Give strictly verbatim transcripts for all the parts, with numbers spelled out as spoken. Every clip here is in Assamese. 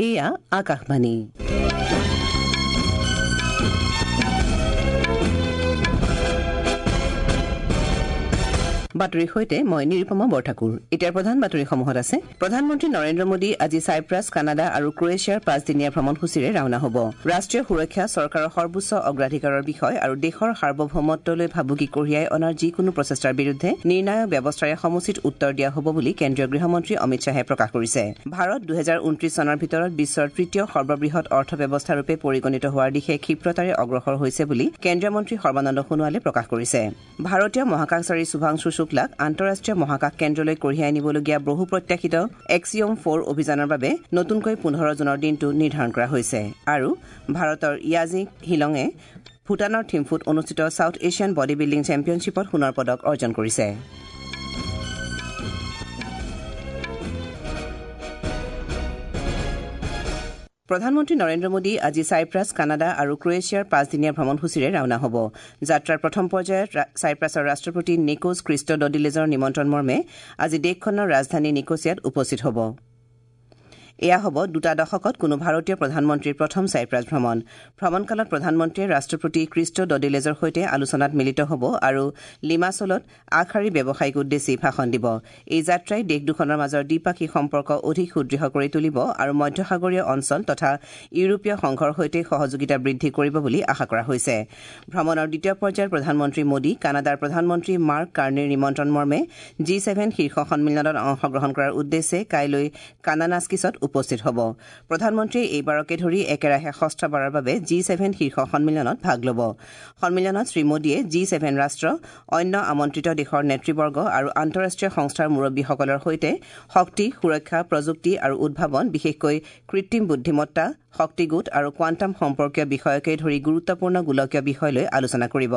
এয়া আকাশবাণী। বাতৰিৰ সৈতে মই নিৰুপমা বৰঠাকুৰ। এতিয়াৰ প্ৰধান বাতৰিসমূহত আছে প্ৰধানমন্ত্ৰী নৰেন্দ্ৰ মোদী আজি চাইপ্ৰাছ, কানাডা আৰু ক্ৰ'ৱেছিয়াৰ পাঁচদিনীয়া ভ্ৰমণসূচীৰে ৰাওনা হ'ব। ৰাষ্ট্ৰীয় সুৰক্ষা চৰকাৰৰ সৰ্বোচ্চ অগ্ৰাধিকাৰৰ বিষয় আৰু দেশৰ সাৰ্বভৌমত্বলৈ ভাবুকি কঢ়িয়াই অনাৰ যিকোনো প্ৰচেষ্টাৰ বিৰুদ্ধে নিৰ্ণায়ক ব্যৱস্থাৰে সমুচিত উত্তৰ দিয়া হ'ব বুলি কেন্দ্ৰীয় গৃহমন্ত্ৰী অমিত শ্বাহে প্ৰকাশ কৰিছে। ভাৰত দুহেজাৰ ঊনত্ৰিশ চনৰ ভিতৰত বিশ্বৰ তৃতীয় সৰ্ববৃহৎ অৰ্থব্যৱস্থাৰূপে পৰিগণিত হোৱাৰ দিশে ক্ষিপ্ৰতাৰে অগ্ৰসৰ হৈছে বুলি কেন্দ্ৰীয় মন্ত্ৰী সৰ্বানন্দ সোণোৱালে প্ৰকাশ কৰিছে। ভাৰতীয় মহাকাশচাৰী শুভাংশু শুক্লাক আন্তঃৰাষ্ট্ৰীয় মহাকাশ কেন্দ্ৰলৈ কঢ়িয়াই নিবলগীয়া বহু প্ৰত্যাশিত এক্সিঅম ফ'ৰ অভিযানৰ বাবে নতুনকৈ পোন্ধৰ জুনৰ দিনটো নিৰ্ধাৰণ কৰা হৈছে। আৰু ভাৰতৰ য়াজি হিলঙে ভূটানৰ থিম্ফুত অনুষ্ঠিত ছাউথ এছিয়ান বডি বিল্ডিং চেম্পিয়নশ্বিপত সোণৰ পদক অৰ্জন কৰিছে। প্ৰধানমন্ত্ৰী নৰেন্দ্ৰ মোদী আজি চাইপ্ৰাছ, কানাডা আৰু ক্ৰ'ৱেছিয়াৰ পাঁচদিনীয়া ভ্ৰমণসূচীৰে ৰাওনা হ'ব। যাত্ৰাৰ প্ৰথম পৰ্যায়ত চাইপ্ৰাছৰ ৰাষ্ট্ৰপতি নিকোছ ক্ৰিষ্টডডিলেজৰ নিমন্ত্ৰণ মৰ্মে আজি দেশখনৰ ৰাজধানী নিকোছিয়াত উপস্থিত হ'ব। এয়া হ'ব দুটা দশকত কোনো ভাৰতীয় প্ৰধানমন্ত্ৰীৰ প্ৰথম চাইপ্ৰাছ ভ্ৰমণ। ভ্ৰমণকালত প্ৰধানমন্ত্ৰীয়ে ৰাষ্ট্ৰপতি ক্ৰিষ্টডডিলেজৰ সৈতে আলোচনাত মিলিত হ'ব আৰু লিমাছলত আগশাৰীৰ ব্যৱসায়িক উদ্দেশ্যি ভাষণ দিব। এই যাত্ৰাই দেশ দুখনৰ মাজৰ দ্বিপাক্ষিক সম্পৰ্ক অধিক সুদৃঢ় কৰি তুলিব আৰু মধ্যসাগৰীয় অঞ্চল তথা ইউৰোপীয় সংঘৰ সৈতে সহযোগিতা বৃদ্ধি কৰিব বুলি আশা কৰা হৈছে। ভ্ৰমণৰ দ্বিতীয় পৰ্যায়ত প্ৰধানমন্ত্ৰী মোদী কানাডাৰ প্ৰধানমন্ত্ৰী মাৰ্ক কাৰ্নিৰ নিমন্ত্ৰণ মৰ্মে জি ছেভেন শীৰ্ষ সন্মিলনত অংশগ্ৰহণ কৰাৰ উদ্দেশ্যে কাইলৈ কানানাস্কিছত উপস্থিত হ'ব। প্ৰধানমন্ত্ৰীয়ে এইবাৰকে ধৰি একেৰাহে ষষ্ঠবাৰৰ বাবে জি ছেভেন শীৰ্ষ সন্মিলনত ভাগ ল'ব। সন্মিলনত শ্ৰীমোদীয়ে জি ছেভেন ৰাষ্ট্ৰ, অন্য আমন্ত্ৰিত দেশৰ নেতৃবৰ্গ আৰু আন্তঃৰাষ্ট্ৰীয় সংস্থাৰ মুৰব্বীসকলৰ সৈতে শক্তি, সুৰক্ষা, প্ৰযুক্তি আৰু উদ্ভাৱন, বিশেষকৈ কৃত্ৰিম বুদ্ধিমত্তা, শক্তি গোট আৰু কোৱাণ্টাম সম্পৰ্কীয় বিষয়কে ধৰি গুৰুত্বপূৰ্ণ গোলকীয় বিষয় লৈ আলোচনা কৰিব।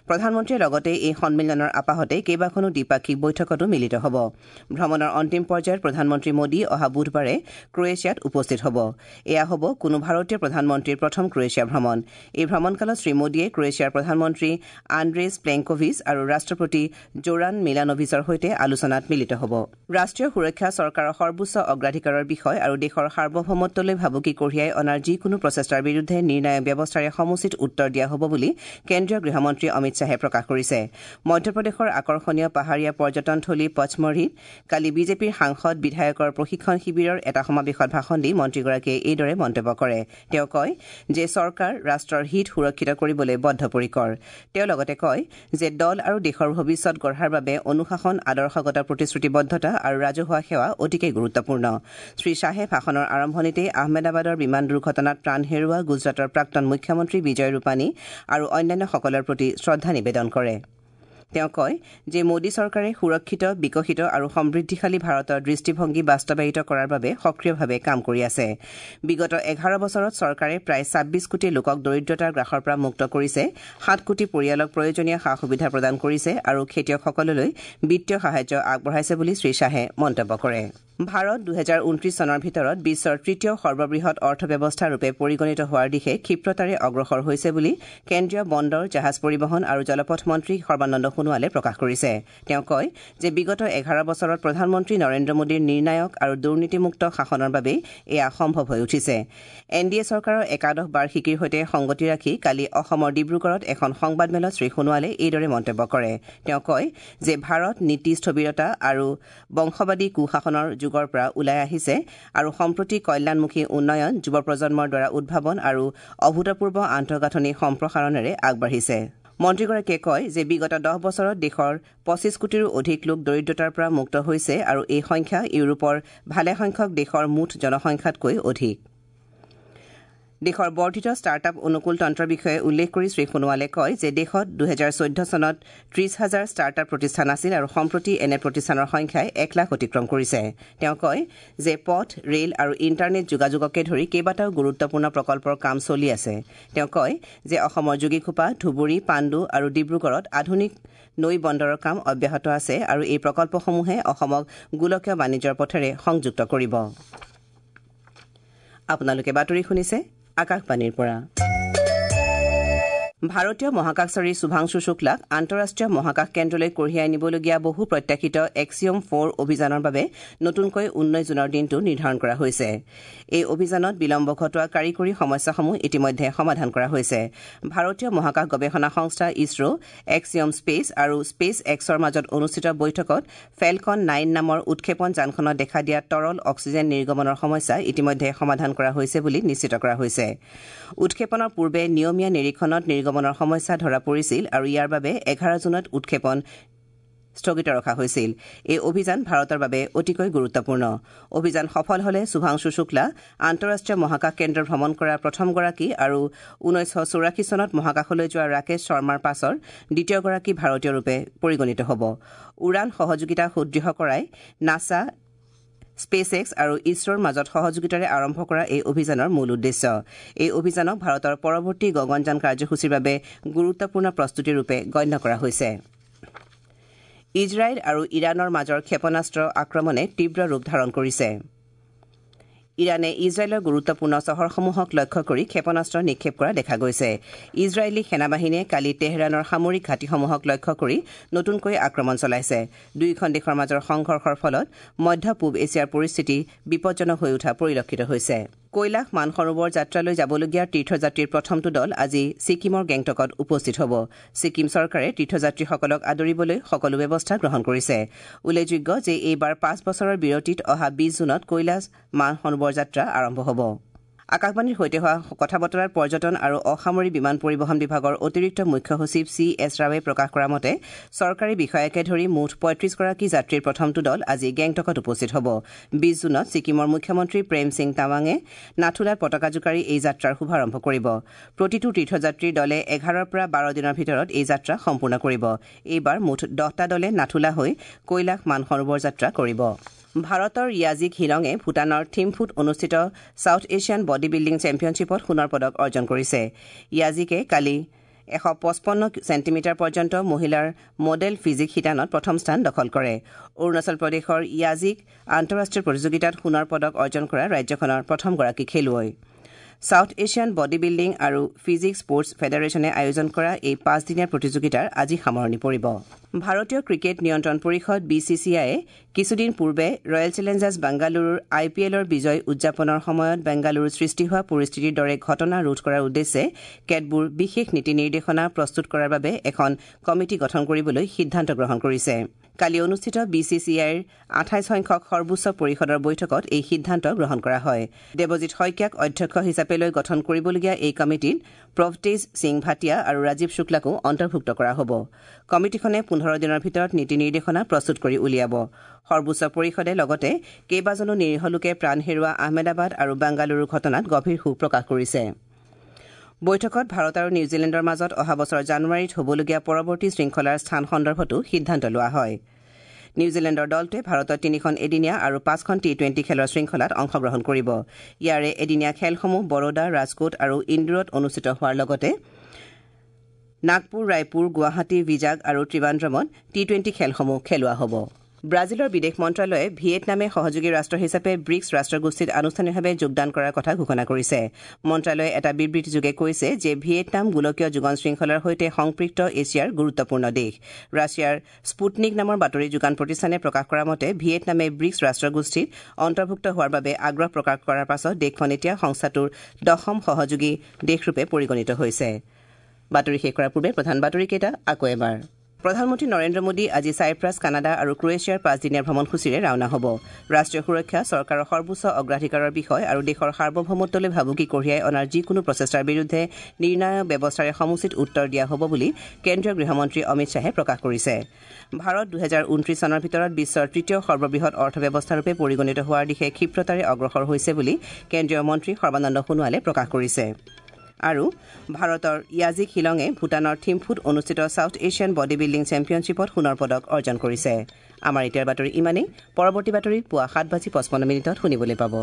প্ৰধানমন্ত্ৰীয়ে লগতে এই সন্মিলনৰ আপাহতে কেইবাখনো দ্বিপাক্ষিক বৈঠকতো মিলিত হ'ব। ভ্ৰমণৰ অন্তিম পৰ্যায়ত প্ৰধানমন্ত্ৰী মোদী অহা বুধবাৰে ক্ৰ'ৱেছিয়াত উপস্থিত হ'ব। এয়া হ'ব কোনো ভাৰতীয় প্ৰধানমন্ত্ৰীৰ প্ৰথম ক্ৰ'ৱেছিয়া ভ্ৰমণ। এই ভ্ৰমণকালত শ্ৰীমোদীয়ে ক্ৰ'ৱেছিয়াৰ প্ৰধানমন্ত্ৰী আন্দ্ৰেজ প্লেংকোভিচ আৰু ৰাষ্ট্ৰপতি জোৰান মিলানোভিচৰ সৈতে আলোচনাত মিলিত হ'ব। ৰাষ্ট্ৰীয় সুৰক্ষা চৰকাৰৰ সৰ্বোচ্চ অগ্ৰাধিকাৰৰ বিষয় আৰু দেশৰ সাৰ্বভৌমত্বলৈ ভাবুকি কঢ়িয়াই অনাৰ যিকোনো প্ৰচেষ্টাৰ বিৰুদ্ধে নিৰ্ণায়ক ব্যৱস্থাৰে সমুচিত উত্তৰ দিয়া হ'ব বুলি কেন্দ্ৰীয় গৃহমন্ত্ৰী অমিত শ্বাহে প্ৰকাশ কৰিছে। মধ্যপ্ৰদেশৰ আকৰ্ষণীয় পাহাৰীয়া পৰ্যটনথলী পচমৰ্হিত কালি বিজেপিৰ সাংসদ বিধায়কৰ প্ৰশিক্ষণ শিবিৰৰ এটা সমাৱেশত ভাষণ দি মন্ত্ৰীগৰাকীয়ে এইদৰে মন্তব্য কৰে। তেওঁ কয় যে চৰকাৰ ৰাষ্ট্ৰৰ হিত সুৰক্ষিত কৰিবলৈ বদ্ধপৰিকৰ। তেওঁ লগতে কয় যে দল আৰু দেশৰ ভৱিষ্যত গঢ়াৰ বাবে অনুশাসন, আদৰ্শগত প্ৰতিশ্ৰুতিবদ্ধতা আৰু ৰাজহুৱা সেৱা অতিকে গুৰুত্বপূৰ্ণ। শ্ৰীশ্বাহে ভাষণৰ আৰম্ভণিতেই আহমেদাবাদৰ বিমান দুৰ্ঘটনাত প্ৰাণ হেৰুওৱা গুজৰাটৰ প্ৰাক্তন মুখ্যমন্ত্ৰী বিজয় ৰূপানী আৰু অন্যান্যসকলৰ প্ৰতি শ্ৰদ্ধা নিবেদন কৰে। তেওঁ কয় যে মোদী চৰকাৰে সুৰক্ষিত, বিকশিত আৰু সমৃদ্ধিশালী ভাৰতৰ দৃষ্টিভংগী বাস্তৱায়িত কৰাৰ বাবে সক্ৰিয়ভাৱে কাম কৰি আছে। বিগত এঘাৰ বছৰত চৰকাৰে প্ৰায় ছাব্বিছ কোটি লোকক দৰিদ্ৰতাৰ গ্ৰাসৰ পৰা মুক্ত কৰিছে, সাত কোটি পৰিয়ালক প্ৰয়োজনীয় সা সুবিধা প্ৰদান কৰিছে আৰু খেতিয়কসকললৈ বিত্তীয় সাহায্য আগবঢ়াইছে বুলি শ্ৰীশ্বাহে মন্তব্য কৰে। ভাৰত দুহেজাৰ ঊনত্ৰিশ চনৰ ভিতৰত বিশ্বৰ তৃতীয় সৰ্ববৃহৎ অৰ্থব্যৱস্থাৰূপে পৰিগণিত হোৱাৰ দিশে ক্ষিপ্ৰতাৰে অগ্ৰসৰ হৈছে বুলি কেন্দ্ৰীয় বন্দৰ, জাহাজ পৰিবহণ আৰু জলপথ মন্ত্ৰী সৰ্বানন্দ সোণোৱালে প্ৰকাশ কৰিছে। তেওঁ কয় যে বিগত এঘাৰ বছৰত প্ৰধানমন্ত্ৰী নৰেন্দ্ৰ মোদীৰ নিৰ্ণায়ক আৰু দুৰ্নীতিমুক্ত শাসনৰ বাবেই এয়া সম্ভৱ হৈ উঠিছে। এন ডি এ চৰকাৰৰ একাদশ বাৰ্ষিকীৰ সৈতে সংগতি ৰাখি কালি অসমৰ ডিব্ৰুগড়ত এখন সংবাদমেলত শ্ৰীসোণোৱালে এইদৰে মন্তব্য কৰে। তেওঁ কয় যে ভাৰত নীতি স্থবিৰতা আৰু বংশবাদী কুশাসনৰ যুগৰ পৰা ওলাই আহিছে আৰু সম্প্ৰতি কল্যাণমুখী উন্নয়ন, যুৱ প্ৰজন্মৰ দ্বাৰা উদ্ভাৱন আৰু অভূতপূৰ্ব আন্তঃগাঁথনি সম্প্ৰসাৰণেৰে আগবাঢ়িছে। মন্ত্ৰীগৰাকীয়ে কয় যে বিগত দহ বছৰত দেশৰ পঁচিছ কোটিৰো অধিক লোক দৰিদ্ৰতাৰ পৰা মুক্ত হৈছে আৰু এই সংখ্যা ইউৰোপৰ ভালেসংখ্যক দেশৰ মুঠ জনসংখ্যাতকৈ অধিক। দেশৰ বৰ্ধিত ষ্টাৰ্টআপ অনুকূল তন্ত্ৰৰ বিষয়ে উল্লেখ কৰি শ্ৰীসোণোৱালে কয় যে দেশত দুহেজাৰ চৈধ্য চনত ত্ৰিশ হাজাৰ ষ্টাৰ্টআপ প্ৰতিষ্ঠান আছিল আৰু সম্প্ৰতি এনে প্ৰতিষ্ঠানৰ সংখ্যাই এক লাখ অতিক্ৰম কৰিছে। তেওঁ কয় যে পথ, ৰেল আৰু ইণ্টাৰনেট যোগাযোগকে ধৰি কেইবাটাও গুৰুত্বপূৰ্ণ প্ৰকল্পৰ কাম চলি আছে। তেওঁ কয় যে অসমৰ যোগীঘোপা, ধুবুৰী, পাণ্ডু আৰু ডিব্ৰুগড়ত আধুনিক নৈ বন্দৰৰ কাম অব্যাহত আছে আৰু এই প্ৰকল্পসমূহে অসমক গোলকীয় বাণিজ্যৰ পথেৰে সংযুক্ত কৰিব। আপোনালোকে বাতৰি শুনিছে আকাশবাণীৰ পৰা। ভাৰতীয় মহাকাশচাৰী শুভাংশু শুক্লাক আন্তঃৰাষ্ট্ৰীয় মহাকাশ কেন্দ্ৰলৈ কঢ়িয়াই নিবলগীয়া বহু প্ৰত্যাশিত এক্সিঅম ফ'ৰ অভিযানৰ বাবে নতুনকৈ ঊনৈশ জুনৰ দিনটো নিৰ্ধাৰণ কৰা হৈছে। এই অভিযানত বিলম্ব ঘটোৱা কাৰিকৰী সমস্যাসমূহ ইতিমধ্যে সমাধান কৰা হৈছে। ভাৰতীয় মহাকাশ গৱেষণা সংস্থা ইছৰ', এক্সিঅম স্পেচ আৰু স্পেচ এক্সৰ মাজত অনুষ্ঠিত বৈঠকত ফেলকন নাইন নামৰ উৎক্ষেপণ যানখনত দেখা দিয়া তৰল অক্সিজেন নিৰ্গমনৰ সমস্যা ইতিমধ্যে সমাধান কৰা হৈছে বুলি নিশ্চিত কৰা হৈছে। উৎক্ষেপণৰ পূৰ্বে নিয়মীয়া নিৰীক্ষণত নিৰ্গমনৰ সমস্যা ধৰা পৰিছিল আৰু ইয়াৰ বাবে এঘাৰ জুনত উৎক্ষেপণ স্থগিত ৰখা হৈছিল। এই অভিযান ভাৰতৰ বাবে অতিকৈ গুৰুত্বপূৰ্ণ। অভিযান সফল হলে শুভাংশু শুক্লা আন্তঃৰাষ্ট্ৰীয় মহাকাশ কেন্দ্ৰ ভ্ৰমণ কৰা প্ৰথমগৰাকী আৰু ঊনৈছশ চৌৰাশী চনত মহাকাশলৈ যোৱা ৰাকেশ শৰ্মাৰ পাছৰ দ্বিতীয়গৰাকী ভাৰতীয় ৰূপে পৰিগণিত হ'ব। উৰাণ সহযোগিতা সুদৃঢ় কৰাই নাছা, স্পেচ এক্স আৰু ইছৰোৰ মাজত সহযোগিতাৰে আৰম্ভ কৰা এই অভিযানৰ মূল উদ্দেশ্য। এই অভিযানক ভাৰতৰ পৰৱৰ্তী গগনযান কাৰ্যসূচীৰ বাবে গুৰুত্বপূৰ্ণ প্ৰস্তুতিৰূপে গণ্য কৰা হৈছে। ইজৰাইল আৰু ইৰাণৰ মাজৰ ক্ষেপণাস্ত্ৰ আক্ৰমণে তীব্ৰ ৰূপ ধাৰণ কৰিছে। ইৰাণে ইজৰাইলৰ গুৰুত্বপূৰ্ণ চহৰসমূহক লক্ষ্য কৰি ক্ষেপণাস্ত্ৰ নিক্ষেপ কৰা দেখা গৈছে। ইজৰাইলী সেনাবাহিনীয়ে কালি তেহৰাণৰ সামৰিক ঘাটিসমূহক লক্ষ্য কৰি নতুনকৈ আক্ৰমণ চলাইছে। দুয়োখন দেশৰ মাজৰ সংঘৰ্ষৰ ফলত মধ্য পূব এছিয়াৰ পৰিস্থিতি বিপজ্জনক হৈ উঠা পৰিলক্ষিত হৈছে। কৈলাশ মানসৰোবৰ যাত্ৰালৈ যাবলগীয়া তীৰ্থযাত্ৰীৰ প্ৰথমটো দল আজি ছিকিমৰ গেংটকত উপস্থিত হ'ব। ছিকিম চৰকাৰে তীৰ্থযাত্ৰীসকলক আদৰিবলৈ সকলো ব্যৱস্থা গ্ৰহণ কৰিছে। উল্লেখযোগ্য যে এইবাৰ পাঁচ বছৰৰ বিৰতিত অহা বিশ জুনত কৈলাশ মানসৰোবৰ যাত্ৰা আৰম্ভ হ'ব। আকাশবাণীৰ সৈতে হোৱা কথা বতৰাত পৰ্যটন আৰু অসামৰিক বিমান পৰিবহণ বিভাগৰ অতিৰিক্ত মুখ্য সচিব চি এছ ৰাৱে প্ৰকাশ কৰা মতে চৰকাৰী বিষয়াকে ধৰি মুঠ পঁয়ত্ৰিশগৰাকী যাত্ৰীৰ প্ৰথমটো দল আজি গেংটকত উপস্থিত হ'ব। বিশ জুনত ছিকিমৰ মুখ্যমন্ত্ৰী প্ৰেম সিং তাৱাঙে নাথুলাত পতাকা জোকাৰি এই যাত্ৰাৰ শুভাৰম্ভ কৰিব। প্ৰতিটো তীৰ্থযাত্ৰীৰ দলে এঘাৰৰ পৰা বাৰ দিনৰ ভিতৰত এই যাত্ৰা সম্পূৰ্ণ কৰিব। এইবাৰ মুঠ দহটা দলে নাথুলা হৈ কৈলাশ মানসৰোবৰ যাত্ৰা কৰিব। ভাৰতৰ য়াজিক হিলঙে ভূটানৰ থিম্ফুত অনুষ্ঠিত ছাউথ এছিয়ান বডি বিল্ডিং চেম্পিয়নশ্বিপত সোণৰ পদক অৰ্জন কৰিছে। য়াজিকে কালি এশ পঁচপন্ন চেণ্টিমিটাৰ পৰ্যন্ত মহিলাৰ মডেল ফিজিক শিতানত প্ৰথম স্থান দখল কৰে। অৰুণাচল প্ৰদেশৰ য়াজিক আন্তঃৰাষ্ট্ৰীয় প্ৰতিযোগিতাত সোণৰ পদক অৰ্জন কৰা ৰাজ্যখনৰ প্ৰথমগৰাকী খেলুৱৈ। ছাউথ এছিয়ান বডি বিল্ডিং আৰু ফিজিক স্পৰ্টছ ফেডাৰেশ্যনে আয়োজন কৰা এই পাঁচদিনীয়া প্ৰতিযোগিতাৰ আজি সামৰণি পৰিব। ভাৰতীয় ক্ৰিকেট নিয়ন্ত্ৰণ পৰিষদ বি চি চি আইয়ে কিছুদিন পূৰ্বে ৰয়েল চেলেঞ্জাৰ্ছ বাংগালুৰুৰ আই পি এলৰ বিজয় উদযাপনৰ সময়ত বেংগালুৰুত সৃষ্টি হোৱা পৰিস্থিতিৰ দৰে ঘটনা ৰোধ কৰাৰ উদ্দেশ্যে কেতবোৰ বিশেষ নীতি নিৰ্দেশনা প্ৰস্তুত কৰাৰ বাবে এখন কমিটি গঠন কৰিবলৈ সিদ্ধান্ত গ্ৰহণ কৰিছে। কালি অনুষ্ঠিত বি চি চি আইৰ আঠাইছ সংখ্যক সৰ্বোচ্চ পৰিষদৰ বৈঠকত এই সিদ্ধান্ত গ্ৰহণ কৰা হয়। দেৱজিৎ শইকীয়াক অধ্যক্ষ হিচাপে লৈ গঠন কৰিবলগীয়া এই কমিটিত প্ৰভতেজ সিং ভাটিয়া আৰু ৰাজীৱ শুক্লাকো অন্তৰ্ভুক্ত কৰা হ'ব। কমিটিখনে পোন্ধৰ দিনৰ ভিতৰত নীতি নিৰ্দেশনা প্ৰস্তুত কৰি উলিয়াব। সৰ্বোচ্চ পৰিষদে লগতে কেইবাজনো নিৰীহ লোকে প্ৰাণ হেৰুওৱা আহমেদাবাদ আৰু বাংগালুৰুৰ ঘটনাত গভীৰ শোক প্ৰকাশ কৰিছে। বৈঠকত ভাৰত আৰু নিউজিলেণ্ডৰ মাজত অহা বছৰ জানুৱাৰীত হ'বলগীয়া পৰৱৰ্তী শৃংখলাৰ স্থান সন্দৰ্ভতো সিদ্ধান্ত লোৱা হয়। নিউজিলেণ্ডৰ দলটোৱে ভাৰতত তিনিখন এদিনীয়া আৰু পাঁচখন টি টুৱেণ্টি খেলৰ শৃংখলাত অংশগ্ৰহণ কৰিব। ইয়াৰে এদিনীয়া খেলসমূহ বৰোদা, ৰাজকোট আৰু ইন্দোৰত অনুষ্ঠিত হোৱাৰ লগতে নাগপুৰ, ৰায়পুৰ, গুৱাহাটী, ভিজাগ আৰু ত্ৰিবান্দ্ৰমত টি টুৱেণ্টি খেলসমূহ খেলোৱা হ'ব। ব্ৰাজিলৰ বিদেশ মন্ত্ৰালয়ে ভিয়েটনামে সহযোগী ৰাষ্ট্ৰ হিচাপে ব্ৰিক্স ৰাষ্ট্ৰগোষ্ঠীত আনুষ্ঠানিকভাৱে যোগদান কৰাৰ কথা ঘোষণা কৰিছে। মন্ত্ৰালয়ে এটা বিবৃতিযোগে কৈছে যে ভিয়েটনাম গোলকীয় যোগান শৃংখলাৰ সৈতে সংপৃক্ত এছিয়াৰ গুৰুত্বপূৰ্ণ দেশ। ৰাছিয়াৰ স্পুটনিক নামৰ বাতৰি যোগান প্ৰতিষ্ঠানে প্ৰকাশ কৰা মতে ভিয়েটনামে ব্ৰিক্স ৰাষ্ট্ৰগোষ্ঠীত অন্তৰ্ভুক্ত হোৱাৰ বাবে আগ্ৰহ প্ৰকাশ কৰাৰ পাছত দেশখন এতিয়া সংস্থাটোৰ দশম সহযোগী দেশৰূপে পৰিগণিত হৈছে। বাতৰি শেষ কৰাৰ পূৰ্বে প্ৰধান বাতৰিকেইটা আকৌ এবাৰ। প্ৰধানমন্ত্ৰী নৰেন্দ্ৰ মোদী আজি চাইপ্ৰাছ, কানাডা আৰু ক্ৰোৱেছিয়াৰ পাঁচদিনীয়া ভ্ৰমণসূচীৰে ৰাওনা হ'ব। ৰাষ্ট্ৰীয় সুৰক্ষা চৰকাৰৰ সৰ্বোচ্চ অগ্ৰাধিকাৰৰ বিষয় আৰু দেশৰ সাৰ্বভৌমত্বলৈ ভাবুকি কঢ়িয়াই অনাৰ যিকোনো প্ৰচেষ্টাৰ বিৰুদ্ধে নিৰ্ণায়ক ব্যৱস্থাৰে সমুচিত উত্তৰ দিয়া হ'ব বুলি কেন্দ্ৰীয় গৃহমন্ত্ৰী অমিত শ্বাহে প্ৰকাশ কৰিছে। ভাৰত দুহেজাৰ ঊনত্ৰিশ চনৰ ভিতৰত বিশ্বৰ তৃতীয় সৰ্ববৃহৎ অৰ্থব্যৱস্থাৰূপে পৰিগণিত হোৱাৰ দিশে ক্ষিপ্ৰতাৰে অগ্ৰসৰ হৈছে বুলি কেন্দ্ৰীয় মন্ত্ৰী সৰ্বানন্দ সোণোৱালে প্ৰকাশ কৰিছে। আৰু ভাৰতৰ য়াজিক হিলঙে ভূটানৰ থিম্ফুত অনুষ্ঠিত ছাউথ এছিয়ান বডি বিল্ডিং চেম্পিয়নশ্বিপত সোণৰ পদক অৰ্জন কৰিছে। আমাৰ এতিয়াৰ বাতৰি ইমানেই। পৰৱৰ্তী বাতৰি পুৱা সাত বাজি পঁচপন্ন মিনিটত শুনিবলৈ পাব।